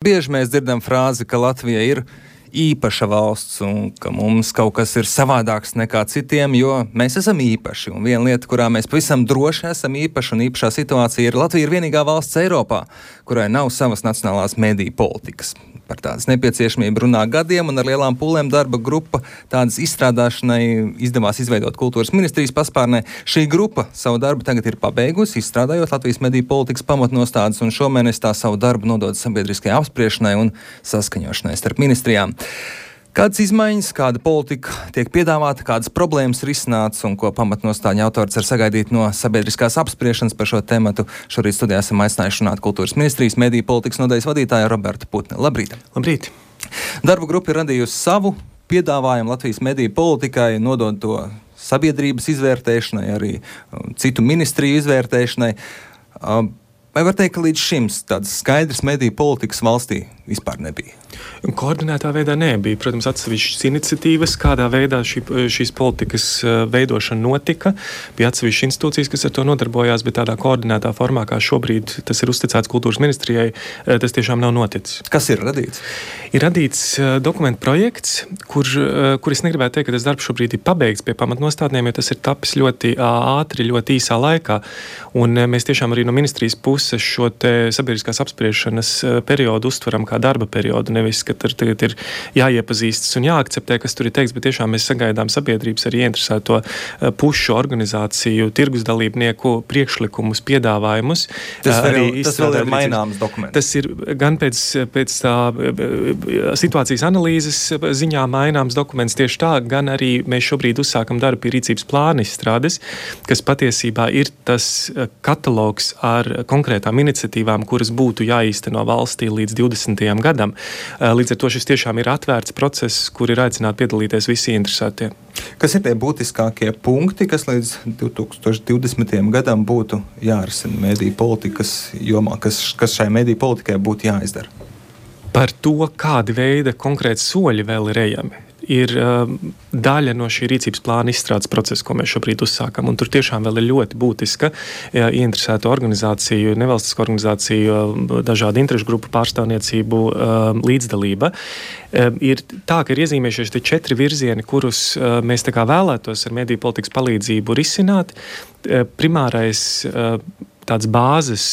Bieži mēs dzirdam frāzi, ka Latvija ir īpaša valsts un ka mums kaut kas ir savādāks nekā citiem, jo mēs esam īpaši. Un viena lieta, kurā mēs pavisam droši esam īpaši un īpašā situācija ir Latvija ir vienīgā valsts Eiropā, kurai nav savas nacionālās mediju politikas. Par tādas nepieciešamību runā gadiem un ar lielām pūlēm darba grupa tādas izstrādāšanai izdevās izveidot kultūras ministrijas paspārnē. Šī grupa savu darbu tagad ir pabeigusi, izstrādājot Latvijas mediju politikas pamatnostādes un šomēnes tā savu darbu nodod sabiedriskajai apspriešanai un saskaņošanai starp ministrijām. Kādas izmaiņas, kāda politika tiek piedāvāta, kādas problēmas risināts un ko pamatnostāļu autors var sagaidīt no sabiedriskās apspriešanas par šo tematu. Šorīt studijā esam aicinājuši runāt kultūras ministrijas mediju politikas nodaļas vadītāju Robertu Putni. Labrīt! Labrīt! Darba grupa ir radījusi savu piedāvājumu Latvijas mediju politikai, nodod to sabiedrības izvērtēšanai, arī citu ministriju izvērtēšanai. Vai var teikt, ka līdz šim tādas skaidras mediju politikas valstī vispār nebija? Koordinētā veidā nebija. Protams, atsevišķas iniciatīvas, kādā veidā šīs politikas veidošana notika. Bija atsevišķas institūcijas, kas ar to nodarbojās, bet tādā koordinētā formā, kā šobrīd tas ir uzticēts kultūras ministrijai, tas tiešām nav noticis. Kas ir radīts? Ir radīts dokumentu projekts, kur es negribētu teikt, ka tas darbs šobrīd ir pabeigts pie pamatnostādnēm, jo tas ir tapis ļoti ātri, ļoti īsā laikā. Un mēs tiešām arī no ministrijas puses šo te sabiedriskās apspriešanas periodu uztveram kā darba periodu, nevis, ka tur tagad ir jāiepazīstas un jāakceptē, kas tur ir teikts, bet tiešām mēs sagaidām sabiedrības arī ieinteresēto pušu organizāciju, tirgus dalībnieku priekšlikumus, piedāvājumus. Tas vēl ir maināms dokuments. Tas ir gan pēc tā situācijas analīzes ziņā maināms dokuments tieši tā, gan arī mēs šobrīd uzsākam darbu pie rīcības plāna izstrādes, kas patiesībā ir tas katalogs ar konkrētām iniciatīvām, kuras būtu jāīsteno valstī līdz 20. gadam. Līdz ar to šis tiešām ir atvērts process, kur ir aicināti piedalīties visi interesētie. Kas ir tie būtiskākie punkti, kas līdz 2020. gadam būtu jārisina mediju politikas jomā, kas šai mediju politikai būtu jāizdara? Par to, kādi veida konkrēti soļi vēl ir ejami, ir daļa no šī rīcības plāna izstrādes procesa, ko mēs šobrīd uzsākam. Un tur tiešām vēl ir ļoti būtiska ieinteresēto organizāciju, nevalstisko organizāciju, dažādu interešu grupu pārstāvniecību līdzdalība. Ir tā, ka ir iezīmējušies tie 4 virzieni, kurus mēs tā kā vēlētos ar mediju politikas palīdzību risināt. Primārais tāds bāzes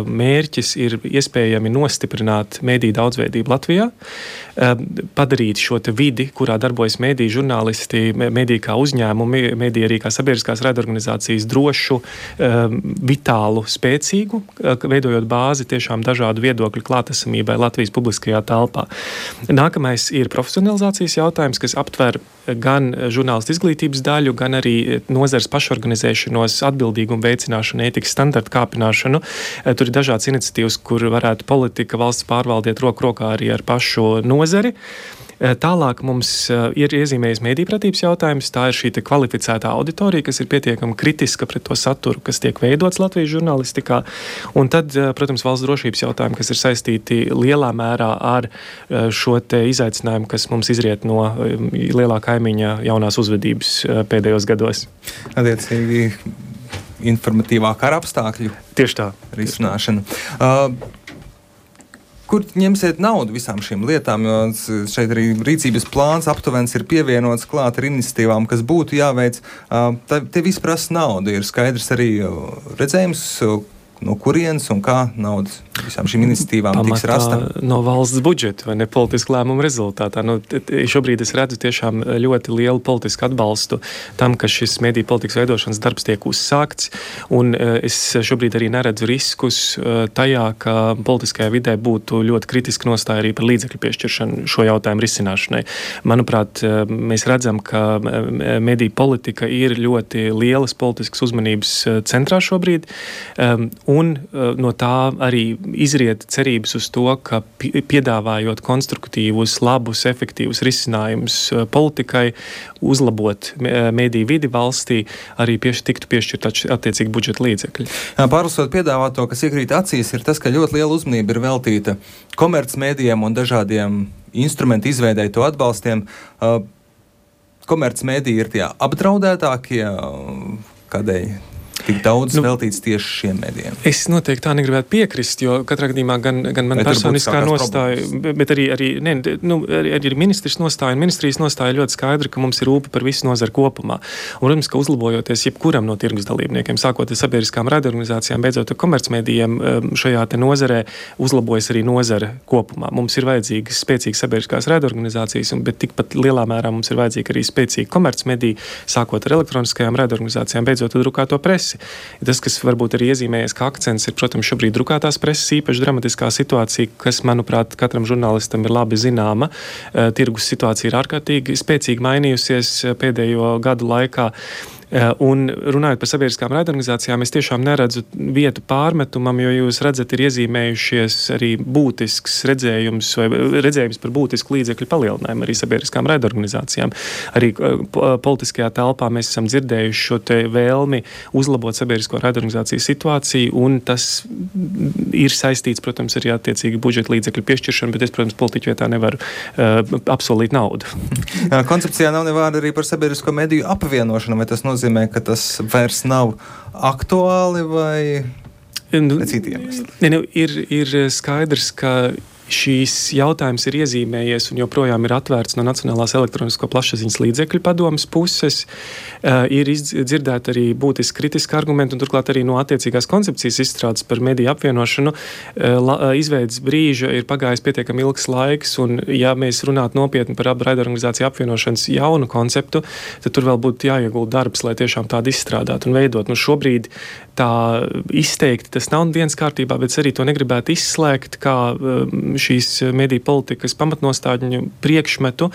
mērķis ir iespējami nostiprināt mediju daudzveidību Latvijā, padarīt šo te vidi, kurā darbojas mediju žurnālisti, mediju kā uzņēmumi, mediju arī kā sabiedriskās raidorganizācijas drošu, vitālu, spēcīgu, veidojot bāzi tiešām dažādu viedokļu klātesamībai Latvijas publiskajā telpā. Nākamais ir profesionalizācijas jautājums, kas aptver gan žurnālistu izglītības daļu, gan arī nozares pašorganizēšanos, atbildīgumu veicināšanu, ētikas standartu kāpināšanu. Tur ir dažādas iniciatīvas, kur varētu politika, valsts pārvaldiet roku rokā arī ar pašu nozari. Tālāk mums ir iezīmējis medijpratības jautājums. Tā ir šī kvalificētā auditorija, kas ir pietiekami kritiska pret to saturu, kas tiek veidots Latvijas žurnālistikā. Un tad, protams, valsts drošības jautājumi, kas ir saistīti lielā mērā ar šo te izaicinājumu, kas mums izriet no lielā kaimiņa jaunās uzvedības pēdējos gados. Attiecīgi informatīvā kara apstākļu tieši tā risināšana. Kur ņemsiet naudu visām šīm lietām, jo šeit arī rīcības plāns aptuvens ir pievienots klāt ar iniciatīvām, kas būtu jāveic. Te viss prasa naudu. Ir skaidrs arī redzējums, no kurienes un kā naudas visām šīm iniciatīvām tiks rasta? No valsts budžeta vai ne politisku lēmumu rezultātā. Šobrīd es redzu tiešām ļoti lielu politisku atbalstu tam, ka šis mediju politikas veidošanas darbs tiek uzsākts, un es šobrīd arī neredzu riskus tajā, ka politiskajā vidē būtu ļoti kritiski nostāja arī par līdzekļu piešķiršanu šo jautājumu risināšanai. Manuprāt, mēs redzam, ka mediju politika ir ļoti lielas politiskas uzmanības centrā šobrīd, un no tā arī izriet cerības uz to, ka piedāvājot konstruktīvus, labus, efektīvus risinājumus politikai, uzlabot mediju vidi valstī, arī tiktu piešķirt attiecīgi budžeta līdzekļi. Pārlasot piedāvāto, kas iekrīt acīs, ir tas, ka ļoti liela uzmanība ir veltīta komercmedijiem un dažādiem instrumentu izveidēji to atbalstiem. Komercmediji ir tie apdraudētākie, kādēļ tik daudz veltīts tieši šiem medijiem? Es noteikti tā negribētu piekrist, jo katrā gadījumā gan man personiskā nostāja, bet arī ministrs nostāja un ministrijas nostāja ļoti skaidra, ka mums ir rūpe par visu nozaru kopumā. Un, protams, ka uzlabojoties jebkuram no tirgus dalībniekiem, sākot ar sabiedriskām raidorganizācijām, beidzot ar komercmedijiem, šajā te nozarē uzlabojas arī nozare kopumā. Mums ir vajadzīgas spēcīgas sabiedriskās raidorganizācijas, bet tikpat lielā mērā mums ir vajadzīga arī spēcīga komercmedija, sākot ar elektroniskajām raidorganizācijām, beidzot ar drukāto presi. Tas, kas varbūt arī iezīmējies kā akcents, ir, protams, šobrīd drukātās preses īpaši dramatiskā situācija, kas, manuprāt, katram žurnālistam ir labi zināma. Tirgus situācija ir ārkārtīgi spēcīgi mainījusies pēdējo gadu laikā. Un runājot par sabiedriskām raidorganizācijām, es tiešām neredzu vietu pārmetumam, jo jūs redzat, ir iezīmējušies arī būtisks redzējums par būtisku līdzekļu palielinājumu arī sabiedriskām raidorganizācijām. Arī politiskajā telpā mēs esam dzirdējuši šo te vēlmi uzlabot sabiedrisko raidorganizāciju situāciju, un tas ir saistīts, protams, arī attiecīgi budžeta līdzekļu piešķiršanu, bet es, protams, politiķu vietā nevaru apsolīt naudu. Koncepcijā nav nevārda arī par sabiedrisko mediju apvienošanu, vai tas nozīmē, ka tas vairs nav aktuāli vai citiem? Ir skaidrs, ka šīs jautājums ir iezīmējies un joprojām ir atvērts no Nacionālās elektronisko plašsaziņas līdzekļu padomes puses. Ir dzirdēti arī būtiski kritiski argumenti, un turklāt arī no attiecīgās koncepcijas izstrādes par mediju apvienošanu izveidas brīža ir pagājis pietiekami ilgs laiks, un ja mēs runātu nopietni par raidorganizāciju apvienošanas jaunu konceptu, tad tur vēl būtu jāiegulda darbs, lai tiešām tādu izstrādātu un veidot. Šobrīd tā izteikti tas nav viens kārtībā, bet arī to negribētu izslēgt kā šīs mediju politikas pamatnostādņu priekšmetu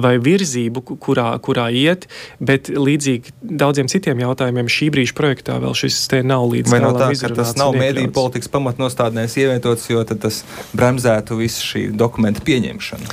vai virzību, kurā iet, bet līdzīgi daudziem citiem jautājumiem šī brīža projektā vēl šis te nav līdz galam izrunāts. Vai no tā, ka tas nav mediju politikas pamatnostādnēs ievietots, jo tad tas bremzētu visu šī dokumenta pieņemšanu?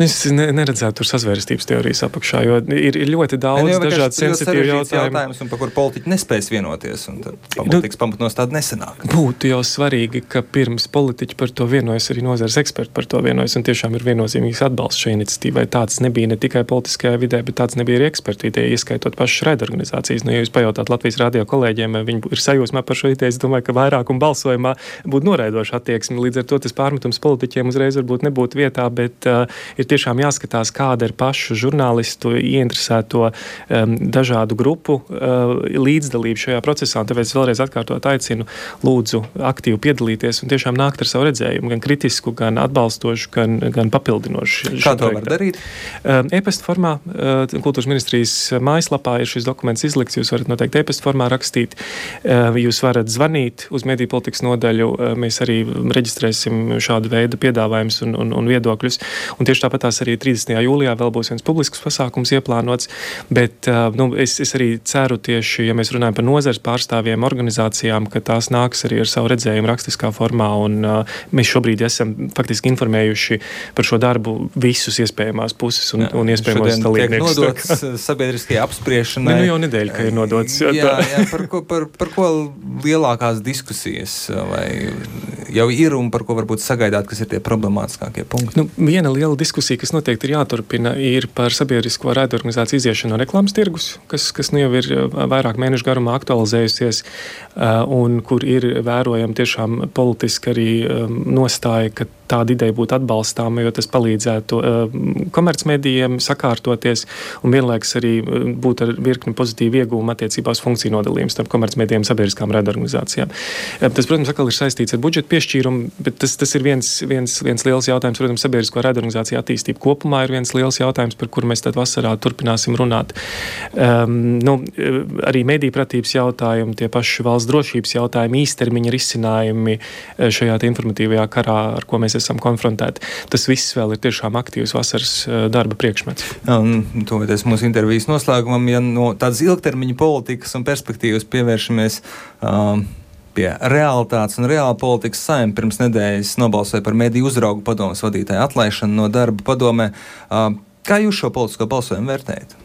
Es neredzētu tur sazvērstības teorijas apakšā, jo ir ļoti daudz dažādu sensitīvu jautājumu. Un par kur politiķi nespēs vienoties, un tad politikas pamatnostāde nesanāk. Būtu jau svarīgi, ka pirms politiķi par to vienojas, arī nozares eksperti par to vienojas, un tiešām ir viennozīmīgs atbalsts šai iniciatīvai. Tāds nebija ne tikai politiskajā vidē, bet tāds nebija arī ekspertu ideja, ieskaitot pašas raidorganizācijas. Ja jūs pajautāt Latvijas radio kolēģiem, viņi ir sajūsmā par šo ideju, es domāju, ka vairākuma balsojumā būtu noraidoša attieksme. Līdz ar to tas pārmetums politiķiem uzreiz varbūt nebūtu vietā, bet ir tiešām jāskatās, kāda ir pašu žurnālistu ieinteresēto dažādu grupu līdzdalība šajā procesā. Un tāpēc vēlreiz atkārtot aicinu, lūdzu aktīvi piedalīties un tiešām nākt ar savu redzējumu, gan kritisku, gan atbalstošu, gan papildinošu. Kā to var darīt? E-pasta formā, Kultūras ministrijas mājaslapā ir šis dokuments izlikts, jūs varat noteikti e-pasta formā rakstīt, jūs varat zvanīt uz mediju politikas nodaļu, mēs arī reģistrēsim šādu veidu piedāvājumus un viedokļus, un tieši tāpatās arī 30. jūlijā vēl būs viens publisks pasākums ieplānots, bet es arī ceru tieši, ja mēs runājam par nozares pārstāvjiem, organizācijām, ka tās nāks arī ar savu redzējumu rakstiskā formā, un mēs šobrīd esam faktiski informējuši par šo darbu visus iespējamās puses un iespējamos dalībniekus. Šodien tiek nodots sabiedriskajai apspriešanai. Jau nedēļa, ka ir nodots. Par ko lielākās diskusijas vai jau ir un par ko varbūt sagaidāt, kas ir tie problemātiskākie punkti? Viena liela diskusija, kas noteikti ir jāturpina, ir par sabiedrisko raidorganizāciju iziešanu no reklāmas tirgus, kas jau ir vairāk mēnešu garumā aktualizējusies un kur ir vērojama tiešām politiski arī nostāja, ka tāda ideja būtu atbalstāma, jo tas palīdzētu komercmedijiem sakārtoties un vienlaikus arī būtu ar virkni pozitīvu iegūmu attiecībā uz funkciju nodalījumu starp komercmedijiem un sabiedriskām raidorganizācijām. Tas, protams, atkal ir saistīts ar budžeta piešķīrumu, bet tas ir viens liels jautājums. Protams, sabiedrisko raidorganizāciju attīstība kopumā ir viens liels jautājums, par kuru mēs tad vasarā turpināsim runāt. Arī mediju pratības jautājumi, tie paši valsts drošības jautājumi, īstermiņa risinājumi šajā informatīvajā karā, ar ko mēs esam konfrontēti. Tas viss vēl ir tiešām aktīvs vasaras darba priekšmets. Tuvoties mūsu intervijas noslēgumam, ja no tādas ilgtermiņa politikas un perspektīvas pievēršamies pie realitātes un reāla politikas, Saeima pirms nedēļas nobalsoja par mediju uzraugu padomes vadītāju atlaišanu no darba padomē. Kā jūs šo politisko balsojumu vērtējat?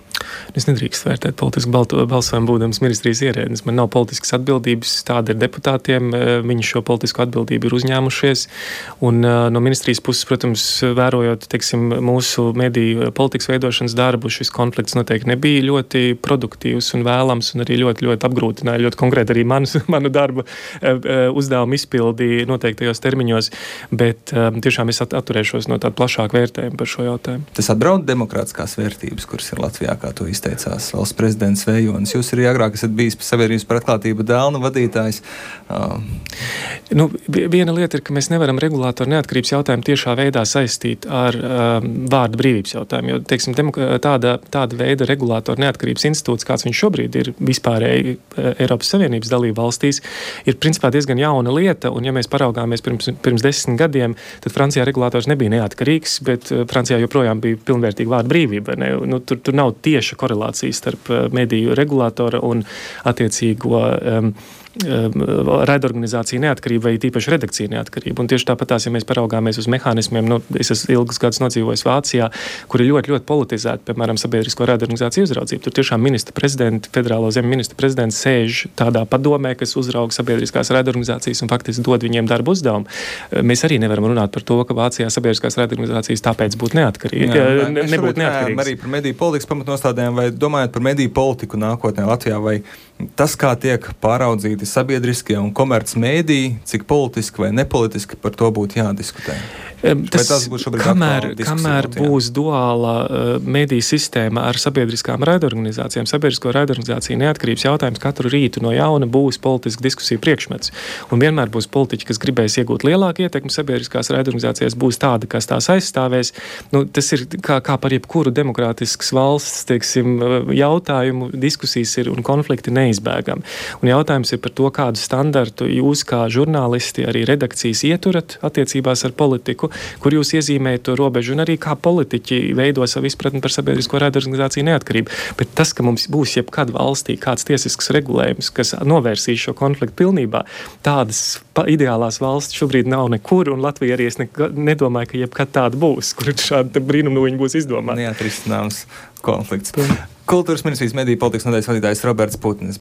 Es nedrīkst vērtēt politisku balsojumu būdams ministrijas ierēdnis. Man nav politiskas atbildības, tāda ir deputātiem. Viņi šo politisku atbildību ir uzņēmušies. Un no ministrijas puses, protams, vērojot, teiksim, mūsu mediju politikas veidošanas darbu, šis konflikts noteikti nebija ļoti produktīvs un vēlams un arī ļoti, ļoti apgrūtināja, ļoti konkrēti arī manu darbu uzdevumu izpildi noteiktajos termiņos, bet tiešām es atturēšos no tāda plašāka vērtējuma par šo jautājumu. Tas atbraud demokrātiskās vērtības, kuras ir Latvijā, kā to izteicās valsts prezidents Vējonis. Jūs arī agrāk esat bijis sabiedrības par atklātību dēlnu vadītājs. Viena lieta ir, ka mēs nevaram regulātoru neatkarības jautājumu tiešā veidā saistīt ar vārda brīvības jautājumu, jo, teiksim, tāda veida regulātoru neatkarības institūts, kāds viņš šobrīd ir vispārēji Eiropas Savienības dalību valstīs, ir principā diezgan jauna lieta, un ja mēs paraugāmies pirms 10 gadiem, tad Francijā regulātors nebija neatkarīgs, bet Francijā joprojām bija pilnvērtīga vārda brīvība. Tur nav tieša korelācija starp mediju regulātora un attiecīgo raidorganizācija neatkarība vai tīpaši redakcija neatkarība. Un tieši tāpatās, ja mēs paraugāmies uz mehānismiem, es esmu ilgus gadus nodzīvojis Vācijā, kur ir ļoti, ļoti politizēta, piemēram, sabiedrisko raidorganizāciju uzraudzība. Tur tiešām ministra prezidenti, federālo zemi ministra prezidents sēž tādā padomē, kas uzrauga sabiedriskās raidorganizācijas un faktiski dod viņiem darbu uzdevumu. Mēs arī nevaram runāt par to, ka Vācijā sabiedriskās raidorganizācijas tāpēc būtu nebūtu neatkarīgas. Arī par mediju politikas pamatnostādēm vai domājot par mediju politiku nākotnē Latvijā, vai tas, kā tiek pāraudzīti sabiedriskie un komerc mēdī, cik politiski vai nepolitiski par to būtu jādiskutē? Kamēr būs duāla mediju sistēma ar sabiedriskām raidorganizācijām, sabiedrisko raidorganizāciju neatkarības jautājums katru rītu no jauna būs politiska diskusija priekšmets. Un vienmēr būs politiķi, kas gribēs iegūt lielāku ietekmi sabiedriskās raidorganizācijas, būs tādi, kas tās aizstāvēs. Tas ir kā par jebkuru demokrātiskas valsts, teiksim, jautājumu, diskusijas ir un konflikti neizbēgami. Un jautājums ir par to, kādu standartu jūs kā žurnālisti, arī redakcijas ieturat attiecībās ar politiku, kur jūs iezīmējat to robežu, un arī kā politiķi veido savu izpratni par sabiedrisko raidorganizāciju neatkarību. Bet tas, ka mums būs jebkad valstī kāds tiesisks regulējums, kas novērsīs šo konfliktu pilnībā, tādas ideālās valsts šobrīd nav nekur, un Latvija arī es nedomāju, ka jebkad tāda būs, kur šāda brīnumnoņa būs izdomāta. Neatrisināms konflikts. Kultūras ministrijas mediju politikas nodaļas vadītājs Roberts Putnis.